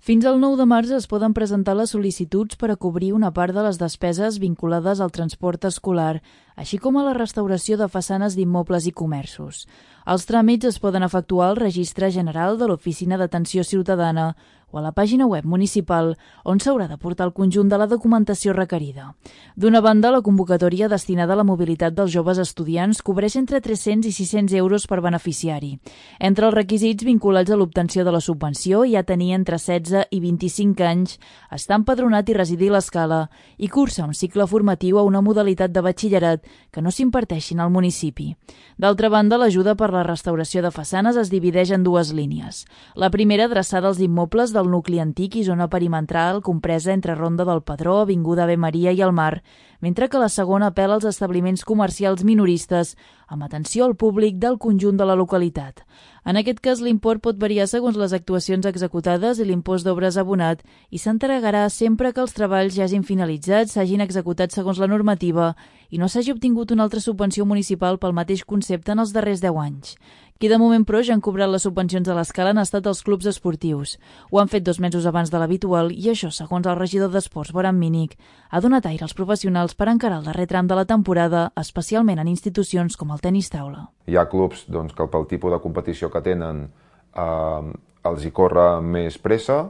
Fins al 9 de març es poden presentar les sol·licituds per a cobrir una part de les despeses vinculades al transport escolar, així com a la restauració de façanes d'immobles i comerços. Els tràmits es poden efectuar al Registre General de l'Oficina d'Atenció Ciutadana o a la pàgina web municipal, on s'haurà de portar el conjunt de la documentació requerida. D'una banda, la convocatòria destinada a la mobilitat dels joves estudiants cobreix entre 300 i 600 euros per beneficiari. Entre els requisits vinculats a l'obtenció de la subvenció hi ha tenir entre 16 i 25 anys, estar empadronat i residir a l'Escala i cursar un cicle formatiu a una modalitat de batxillerat que no s'imparteixin al municipi. D'altra banda, l'ajuda per la restauració de façanes es divideix en dues línies. La primera, adreçada als immobles del nucli antic i zona perimetral compresa entre Ronda del Pedró, Avinguda Ave Maria i el Mar, mentre que la segona apel·la als establiments comercials minoristes amb atenció al públic del conjunt de la localitat. En aquest cas, l'import pot variar segons les actuacions executades i l'impost d'obres abonat i s'entregarà sempre que els treballs ja hagin finalitzat, s'hagin executat segons la normativa i no s'hagi obtingut una altra subvenció municipal pel mateix concepte en els darrers 10 anys. Qui de moment, però, ja han cobrat les subvencions a l'Escala han estat els clubs esportius. Ho han fet 2 mesos abans de l'habitual i això, segons el regidor d'Esports, Boran Mínic, ha donat aire als professionals per encarar el darrer tram de la temporada, especialment en institucions com el tenis taula. Hi ha clubs que pel tipus de competició que tenen els hi corre més pressa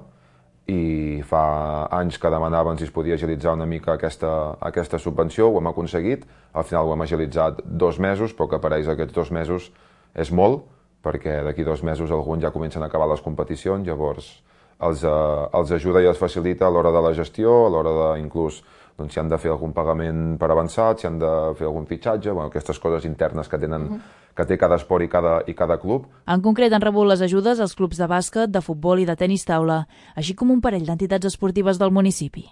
i fa anys que demanaven si es podia agilitzar una mica aquesta subvenció, ho hem aconseguit, al final ho hem agilitzat 2 mesos, però que per ells aquests 2 mesos és molt, perquè d'aquí 2 mesos alguns ja comencen a acabar les competicions, llavors els ajuda i els facilita a l'hora de la gestió, a l'hora de inclús si han de fer algun pagament per avançat, si han de fer algun fitxatge, aquestes coses internes que té cada esport i cada club. En concret han rebut les ajudes els clubs de bàsquet, de futbol i de tenis taula, així com un parell d'entitats esportives del municipi.